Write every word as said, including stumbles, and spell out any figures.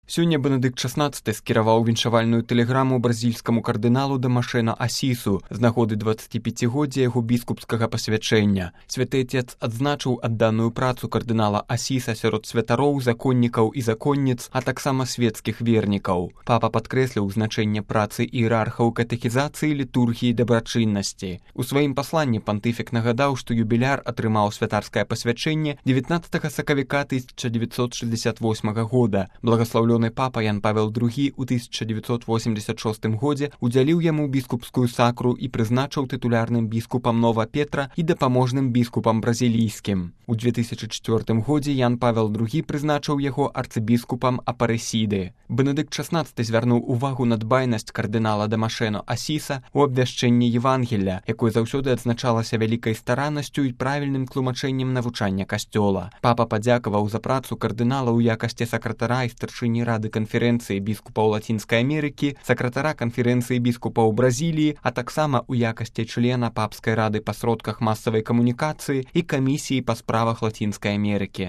Сёння Бенедыкт шаснаццаты скіраваў віншавальную тэлеграму бразільскаму кардыналу Дамашена Асісу з нагоды дваццаціпяцігоддзя яго біскупскага пасвячэння. Святы Отец адзначыў адданую працу кардынала Асіса сярод святароў, законнікаў і законніц, а таксама светскіх вернікаў. Папа падкрэсліў значэнне працы іерархаў катэхізацыі, літургіі, дабрачыннасці. У сваім пасланні пантыфік нагадаў, што юбіляр атрымаў святарскае пасвячэнне дзевятнаццатага сакавіка тысяча дзевятьсот шестьдесят восьмага года. Благаслаўлёны папа Ян Павел другі ў тысяча дзевятьсот восемьдесят шостым годзе удзяліў яму біскупскую сакру і прызначыў тытулярным біскупам Нова Петра і дапаможным біскупам бразілійскім. У две тысячы чвёртым годзе Ян Павел другі прызначыў яго арцыбіскупам Апарэсіды. Бенедыкт шаснаццаты звярнуў увагу на дбайнасць кардынала Дамашена Асіса у абвяшчэнні Евангелля, якое заўсёды адзначалася вялікай стараннасцю і правільным тлумачэннем навучання касцёла. Папа падзякаваў за працу кардынала ў якасці сакратара і старшыні Рады канферэнцыі біскупаў Лацінскай Амерыкі, сакратара канферэнцыі біскупаў Бразіліі, а таксама ў якасці члена Папскай рады па сродках масавай камунікацыі і камісіі па справах Лацінскай Амерыкі.